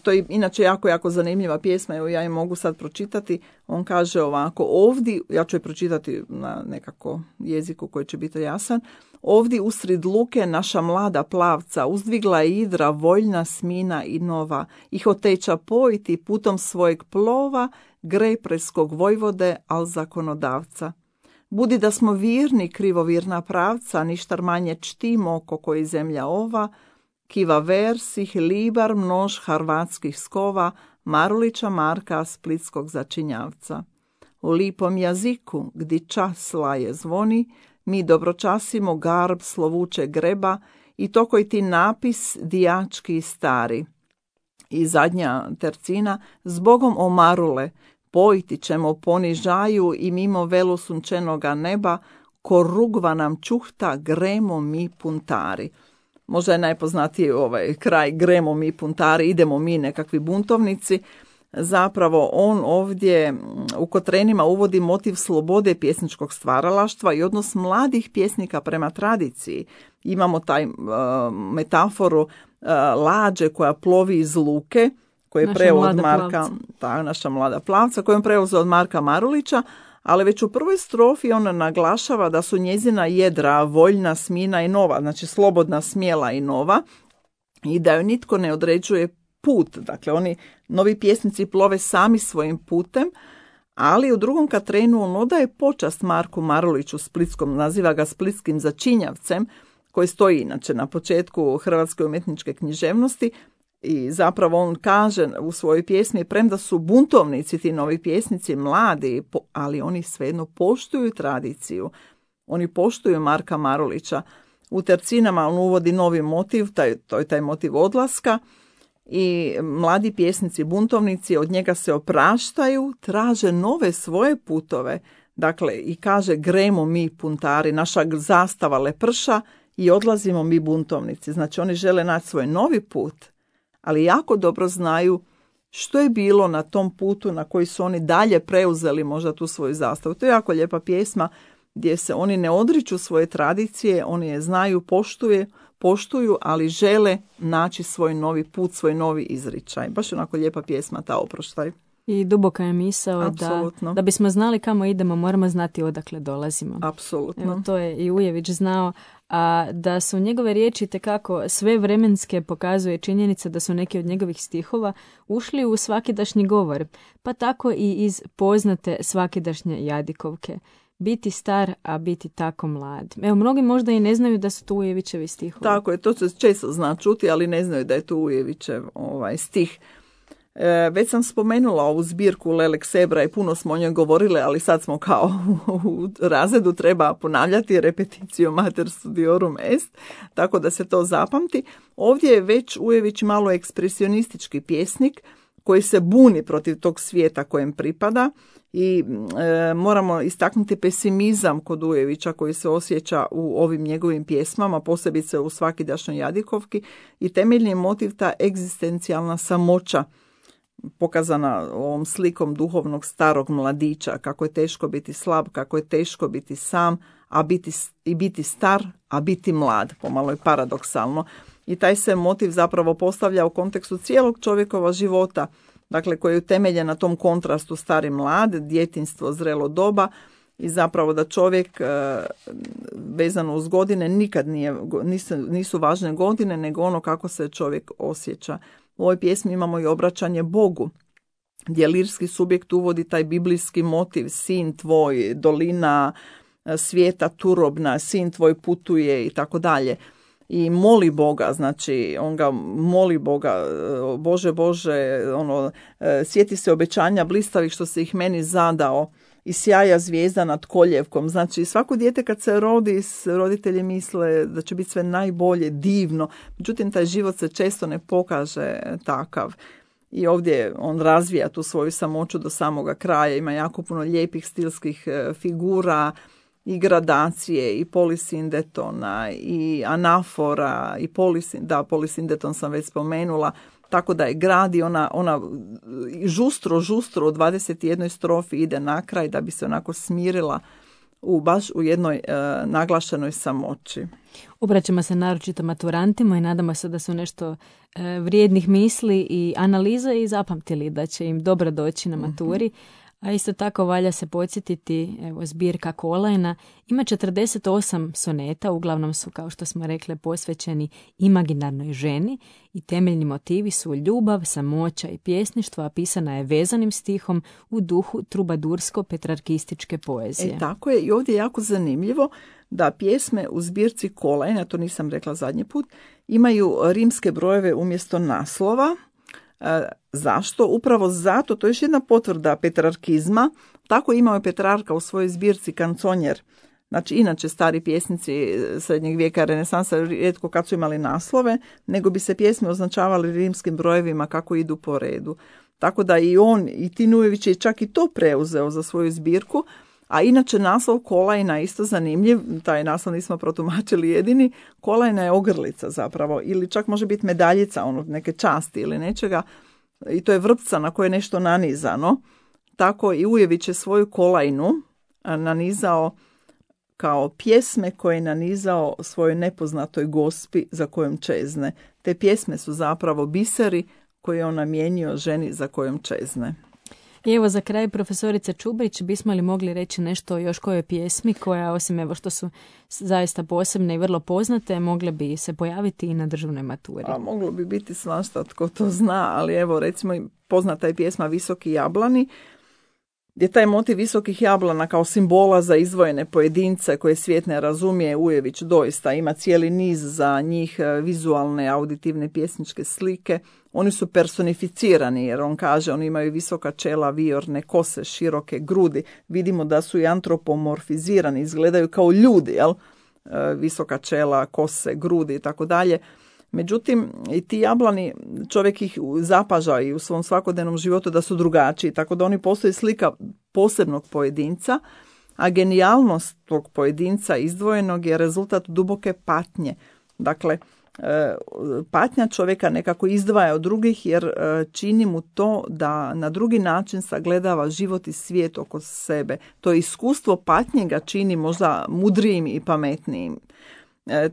To je inače jako zanimljiva pjesma, evo ja je mogu sad pročitati. On kaže ovako, ovdje, ja ću je pročitati na nekako jeziku koji će biti jasan. Ovdje usred luke naša mlada plavca uzdvigla je idra voljna, smina i nova i hoteča pojiti putom svojeg plova grej preskog vojvode, al zakonodavca. Budi da smo virni, krivovirna pravca, ništar manje čtimo oko koji zemlja ova, kiva versih, libar množ harvatskih skova, Marulića Marka splitskog začinjavca. U lipom jaziku, gdje čas laje zvoni, mi dobročasimo garb slovuče greba i to koji ti napis dijački stari. I zadnja tercina, zbogom o Marule, pojiti ćemo ponižaju i mimo velu sunčenoga neba, ko rugva nam čuhta, gremo mi puntari. Možda je najpoznatiji ovaj kraj, gremo mi puntari, idemo mi nekakvi buntovnici. Zapravo on ovdje u Kotrenima uvodi motiv slobode pjesničkog stvaralaštva i odnos mladih pjesnika prema tradiciji. Imamo taj metaforu lađe koja plovi iz luke, koji je preo od Marka, naša mlada plavca, koju je preuzeo od Marka Marulića, ali već u prvoj strofi ona naglašava da su njezina jedra voljna, smina i nova, znači slobodna, smjela i nova, i da joj nitko ne određuje put. Dakle, oni novi pjesnici plove sami svojim putem, ali u drugom Katrenu on odaje počast Marku Maruliću splitskom, naziva ga splitskim začinjavcem, koji stoji inače na početku hrvatske umjetničke književnosti, i zapravo on kaže u svojoj pjesmi, premda su buntovnici ti novi pjesnici mladi, ali oni svejedno poštuju tradiciju. Oni poštuju Marka Marulića. U tercinama on uvodi novi motiv, to je taj motiv odlaska, i mladi pjesnici, buntovnici od njega se opraštaju, traže nove svoje putove. Dakle, i kaže, gremo mi puntari, naša zastava leprša i odlazimo mi buntovnici. Znači, oni žele naći svoj novi put, ali jako dobro znaju što je bilo na tom putu na koji su oni dalje preuzeli možda tu svoju zastavu. To je jako lijepa pjesma gdje se oni ne odriču svoje tradicije, oni je znaju, poštuju, ali žele naći svoj novi put, svoj novi izričaj. Baš onako lijepa pjesma ta Oproštaj. I duboka je misao da bismo znali kamo idemo, moramo znati odakle dolazimo. Apsolutno. Evo, to je i Ujević znao, a da su njegove riječi tekako sve vremenske, pokazuje činjenica da su neki od njegovih stihova ušli u svakidašnji govor, pa tako i iz poznate svakidašnje Jadikovke. Biti star, a biti tako mlad. Evo, mnogi možda i ne znaju da su to Ujevićevi stihovi. Tako je, to se često zna čuti, ali ne znaju da je to Ujevićev stih. Već sam spomenula ovu zbirku Lelek Sebra i puno smo o njoj govorile, ali sad smo kao u razredu, treba ponavljati repetitio mater studiorum est, tako da se to zapamti. Ovdje je već Ujević malo ekspresionistički pjesnik koji se buni protiv tog svijeta kojem pripada i moramo istaknuti pesimizam kod Ujevića koji se osjeća u ovim njegovim pjesmama, posebice u Svakidašnjoj Jadikovki, i temeljni motiv ta egzistencijalna samoća pokazana ovom slikom duhovnog starog mladića, kako je teško biti slab, kako je teško biti sam, biti star, a biti mlad, pomalo je paradoksalno. I taj se motiv zapravo postavlja u kontekstu cijelog čovjekova života, dakle koji je utemeljen na tom kontrastu stari mlad, djetinjstvo, zrelo doba, i zapravo da čovjek vezano uz godine nikad nisu važne godine, nego ono kako se čovjek osjeća. U ovoj pjesmi imamo i obraćanje Bogu, gdje lirski subjekt uvodi taj biblijski motiv, sin tvoj, dolina svijeta turobna, sin tvoj putuje i tako dalje. I moli Boga, znači on ga moli Boga, Bože, sjeti se obećanja blistavih što se ih meni zadao, i sjaja zvijezda nad koljevkom. Znači svako dijete kad se rodi, roditelji misle da će biti sve najbolje, divno, međutim taj život se često ne pokaže takav. I ovdje on razvija tu svoju samoću do samoga kraja, ima jako puno lijepih stilskih figura, i gradacije, i polisindetona, i anafora, i polisindeton sam već spomenula, tako da je gradi ona žustro u 21. strofi ide na kraj da bi se onako smirila baš u jednoj naglašenoj samoći. Obraćamo se naročito maturantima i nadamo se da su nešto vrijednih misli i analiza i zapamtili da će im dobro doći na maturi. A isto tako valja se podsjetiti, evo, zbirka Kolajna ima 48 soneta, uglavnom su, kao što smo rekli, posvećeni imaginarnoj ženi i temeljni motivi su ljubav, samoća i pjesništvo, a pisana je vezanim stihom u duhu trubadursko-petrarkističke poezije. Tako je, i ovdje je jako zanimljivo da pjesme u zbirci Kolajna, to nisam rekla zadnji put, imaju rimske brojeve umjesto naslova. Zašto? Upravo zato, to je još jedna potvrda petrarkizma. Tako imao je Petrarka u svojoj zbirci Kanconjer. Znači, inače stari pjesnici srednjeg vijeka, renesansa, rijetko kad su imali naslove, nego bi se pjesme označavali rimskim brojevima kako idu po redu. Tako da i on, i Tin Ujević je čak i to preuzeo za svoju zbirku. A inače naslov Kolajna je isto zanimljiv, taj naslov nismo protumačili jedini. Kolajna je ogrlica zapravo, ili čak može biti medaljica, neke časti ili nečega, i to je vrpca na koje je nešto nanizano. Tako i Ujević je svoju Kolajnu nanizao kao pjesme koje je nanizao svojoj nepoznatoj gospi za kojom čezne. Te pjesme su zapravo biseri koje on namijenio ženi za kojom čezne. I evo za kraj, profesorice Čubrić, bismo li mogli reći nešto o još kojoj pjesmi koja, osim evo što su zaista posebne i vrlo poznate, mogle bi se pojaviti i na državnoj maturi? A moglo bi biti svašta, tko to zna, ali evo recimo poznata je pjesma Visoki jablani, gdje taj motiv visokih jablana kao simbola za izdvojene pojedince koje svijet ne razumije. Ujević doista ima cijeli niz za njih vizualne, auditivne pjesničke slike. Oni su personificirani jer on kaže oni imaju visoka čela, viorne kose, široke grudi. Vidimo da su i antropomorfizirani, izgledaju kao ljudi, jel? Visoka čela, kose, grudi i tako dalje. Međutim, i ti jablani, čovjek ih zapaža i u svom svakodnevnom životu da su drugačiji, tako da oni postoji slika posebnog pojedinca, a genijalnost tog pojedinca izdvojenog je rezultat duboke patnje. Dakle, patnja čovjeka nekako izdvaja od drugih jer čini mu to da na drugi način sagledava život i svijet oko sebe. To iskustvo patnje ga čini možda mudrijim i pametnijim.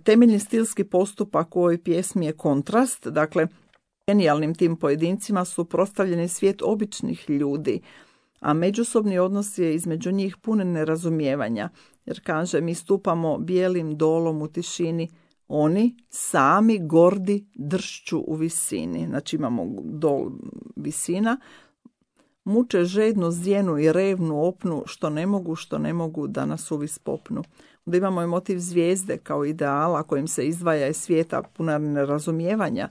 Temeljni stilski postupak u ovoj pjesmi je kontrast, dakle genijalnim tim pojedincima su prostavljeni svijet običnih ljudi, a međusobni odnos je između njih pun nerazumijevanja, jer kaže mi stupamo bijelim dolom u tišini, oni sami gordi dršću u visini, znači imamo dol visina, muče žednu zjenu i revnu opnu, što ne mogu da nas uvis popnu. Onda imamo i motiv zvijezde kao ideala kojim se izdvaja iz svijeta puna nerazumijevanja,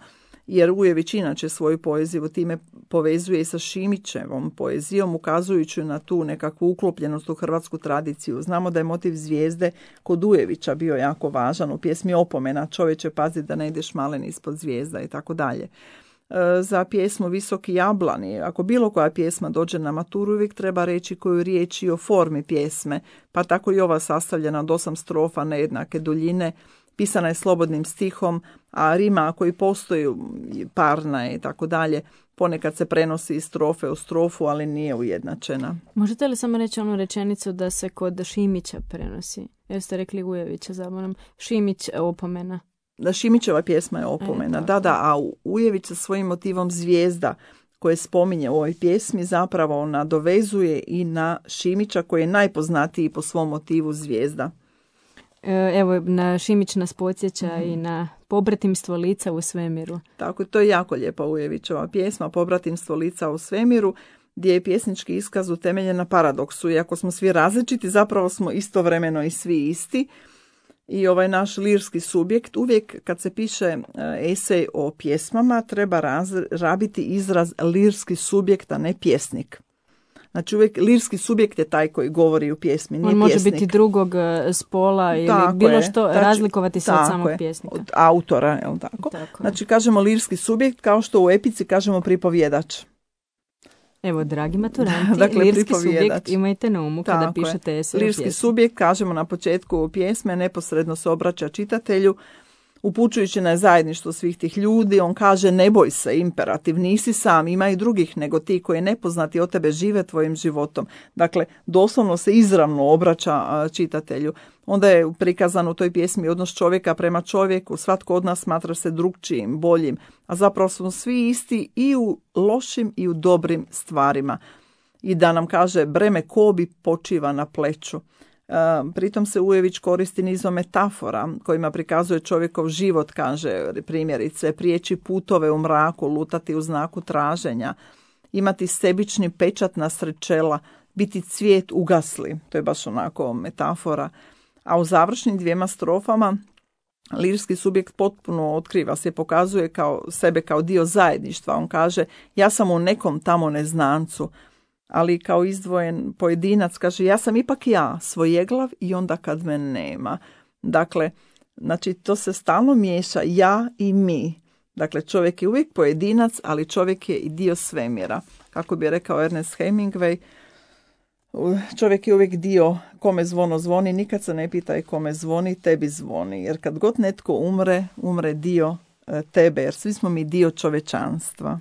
jer Ujević inače svoju poeziju time povezuje i sa Šimićevom poezijom, ukazujući na tu nekakvu uklopljenost u hrvatsku tradiciju. Znamo da je motiv zvijezde kod Ujevića bio jako važan u pjesmi Opomena, čovječe pazi da ne ideš malen ispod zvijezda i tako dalje. Za pjesmu Visoki jablani, ako bilo koja pjesma dođe na maturu, uvijek treba reći koju riječ i o formi pjesme, pa tako i ova sastavljena od 8 strofa nejednake duljine, pisana je slobodnim stihom, a rima koji postoji parna je i tako dalje, ponekad se prenosi iz strofe u strofu, ali nije ujednačena. Možete li samo reći onu rečenicu da se kod Šimića prenosi? Jer ste rekli Ujevića, zaboravim. Šimić Opomena. Da, Šimićeva pjesma je Opomena. A Ujević sa svojim motivom zvijezda koje spominje u ovoj pjesmi zapravo nadovezuje i na Šimića koji je najpoznatiji po svom motivu zvijezda. Evo, na Šimić nas podsjeća i na Pobratimstvo lica u svemiru. Tako, to je jako lijepa Ujevićeva pjesma, Pobratimstvo lica u svemiru, gdje je pjesnički iskaz utemeljen na paradoksu. Iako smo svi različiti, zapravo smo istovremeno i svi isti. I ovaj naš lirski subjekt, uvijek kad se piše esej o pjesmama, treba rabiti izraz lirski subjekt, a ne pjesnik. Znači uvijek lirski subjekt je taj koji govori u pjesmi, nije pjesnik. On može biti drugog spola ili tako bilo je, što, razlikovati se od samog pjesnika. Od autora, je li tako? Znači kažemo lirski subjekt kao što u epici kažemo pripovjedač. Evo, dragi maturanti, dakle, lirski subjekt imajte na umu kada pišete esej o pjesmi. Lirski subjekt, kažemo na početku pjesme, neposredno se obraća čitatelju, upućujući na zajedništvo svih tih ljudi. On kaže ne boj se, imperativ, nisi sam, ima i drugih nego ti koji nepoznati od tebe žive tvojim životom. Dakle, doslovno se izravno obraća čitatelju. Onda je prikazan u toj pjesmi odnos čovjeka prema čovjeku, svatko od nas smatra se drugčijim, boljim, a zapravo smo svi isti i u lošim i u dobrim stvarima. i da nam kaže breme kobi počiva na pleću. Pritom se Ujević koristi nizom metafora kojima prikazuje čovjekov život, kaže primjerice, prijeći putove u mraku, lutati u znaku traženja, imati sebični pečat nasred čela, biti cvijet ugasli, to je baš onako metafora. A u završnim 2 strofama lirski subjekt potpuno otkriva se, pokazuje sebe kao dio zajedništva. On kaže, ja sam u nekom tamo neznancu, ali kao izdvojen pojedinac kaže, ja sam ipak ja, svojeglav i onda kad me nema. Dakle, znači to se stalno miješa ja i mi. Dakle, čovjek je uvijek pojedinac, ali čovjek je i dio svemira. Kako bi rekao Ernest Hemingway, čovjek je uvijek dio kome zvono zvoni, nikad se ne pitaj kome zvoni, tebi zvoni. Jer kad god netko umre dio tebe, jer svi smo mi dio čovečanstva.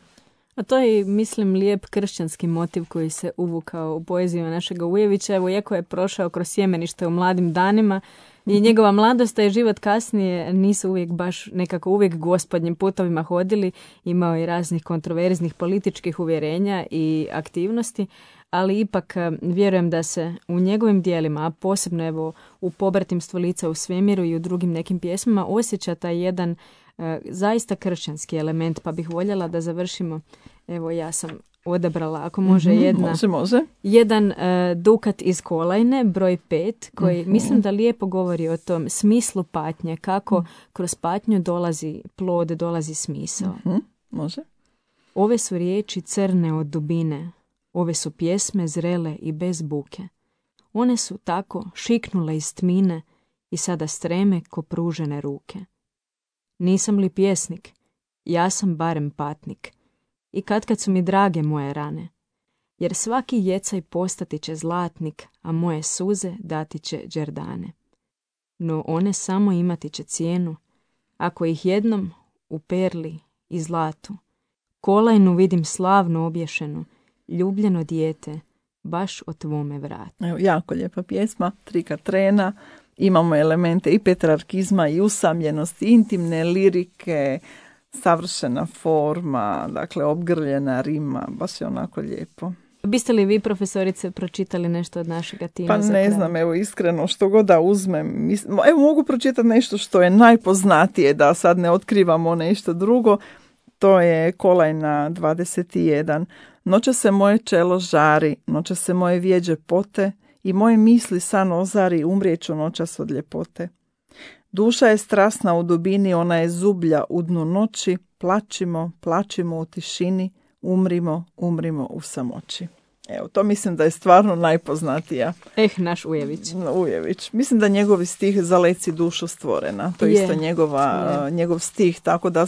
A to je, mislim, lijep kršćanski motiv koji se uvukao u poeziju našega Ujevića. Evo, iako je prošao kroz sjemenište u mladim danima i njegova mladost i život kasnije nisu uvijek baš nekako uvijek gospodnjim putovima hodili, imao je raznih kontroverznih političkih uvjerenja i aktivnosti, ali ipak vjerujem da se u njegovim dijelima, a posebno evo u Pobratimstvo lica u svemiru i u drugim nekim pjesmama, osjeća taj jedan zaista kršćanski element, pa bih voljela da završimo. Evo, ja sam odabrala, ako može, može. Jedan dukat iz Kolajne, broj 5, koji mislim da lijepo govori o tom smislu patnje, kako kroz patnju dolazi plod, dolazi smisao. Može. Ove su riječi crne od dubine, ove su pjesme zrele i bez buke. One su tako šiknule iz tmine i sada streme ko pružene ruke. Nisam li pjesnik? Ja sam barem patnik. I kad su mi drage moje rane. Jer svaki jecaj postati će zlatnik, a moje suze dati će đerdane. No one samo imati će cijenu, ako ih jednom u perli i zlatu. Kolajnu vidim slavno obješenu, ljubljeno dijete, baš o tvome vratu. Evo, jako lijepa pjesma, 3 Katrena. Imamo elemente i petrarkizma i usamljenosti, intimne lirike, savršena forma, dakle obgrljena rima, baš je onako lijepo. Biste li vi, profesorice, pročitali nešto od našega tima? Pa ne znam, evo iskreno, što god da uzmem. Evo mogu pročitati nešto što je najpoznatije, da sad ne otkrivamo nešto drugo. To je Kolajna 21. Noće se moje čelo žari, noće se moje vjeđe pote, i moje misli san ozari, umrijeću noćas od ljepote. Duša je strasna u dubini, ona je zublja u dnu noći, plačimo u tišini, umrimo u samoći. Evo, to mislim da je stvarno najpoznatija. Naš Ujević. Ujević. Mislim da njegovi stih Zaleci dušu stvorena. To je isto njegov stih, tako da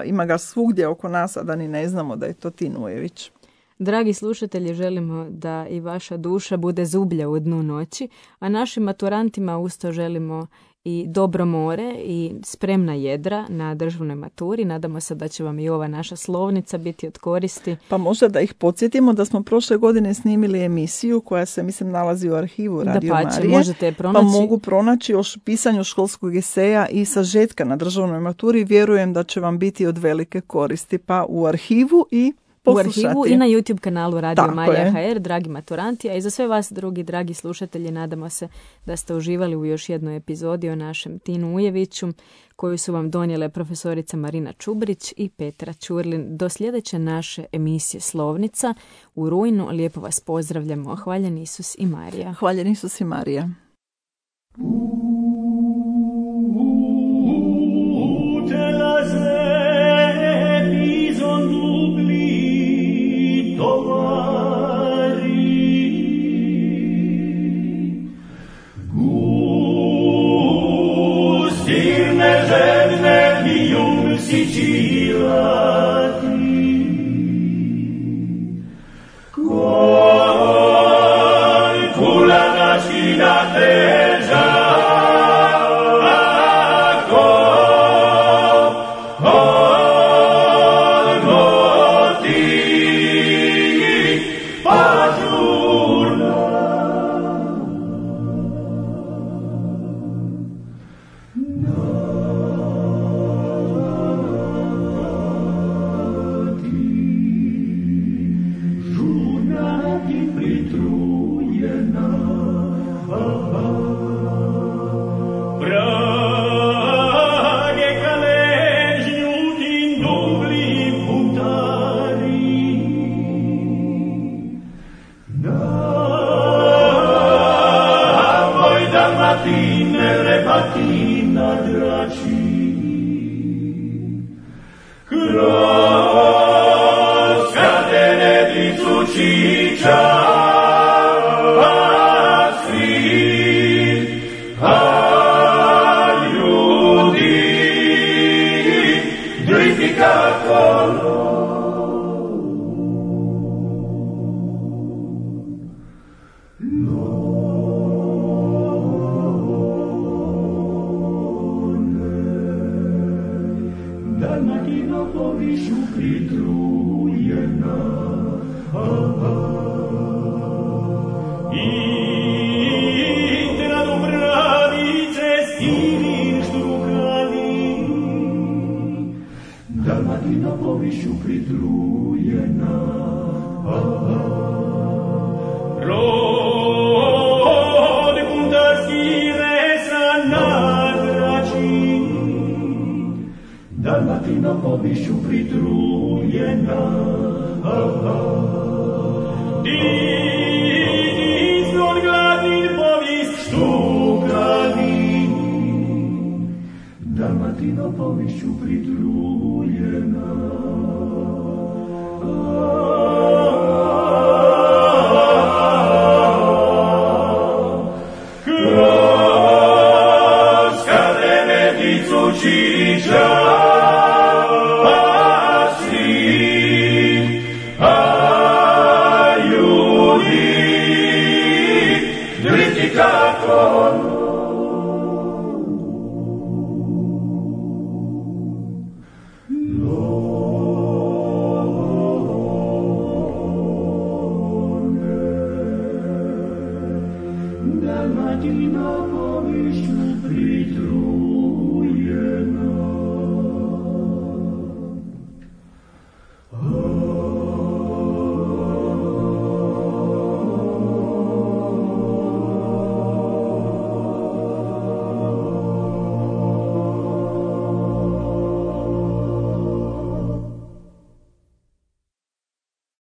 ima ga svugdje oko nas, a da ni ne znamo da je to Tin Ujević. Dragi slušatelji, želimo da i vaša duša bude zublja u dnu noći, a našim maturantima usto želimo i dobro more i spremna jedra na državnoj maturi. Nadamo se da će vam i ova naša slovnica biti od koristi. Pa možda da ih podsjetimo da smo prošle godine snimili emisiju koja se, mislim, nalazi u arhivu Radio Marije. Možete je pronaći. Pa mogu pronaći o pisanju školskog eseja i sažetka na državnoj maturi. Vjerujem da će vam biti od velike koristi. Pa u arhivu i poslušati. U arhivu i na YouTube kanalu Radio Marija HR, dragi maturanti, a i za sve vas, drugi dragi slušatelji, nadamo se da ste uživali u još jednoj epizodi o našem Tinu Ujeviću, koju su vam donijele profesorica Marina Čubrić i Petra Ćurlin. Do sljedeće naše emisije Slovnica u rujnu. Lijepo vas pozdravljamo. Hvaljen Isus i Marija. Hvaljen Isus i Marija. Kula na terra Dalmatino povišću pritrujena.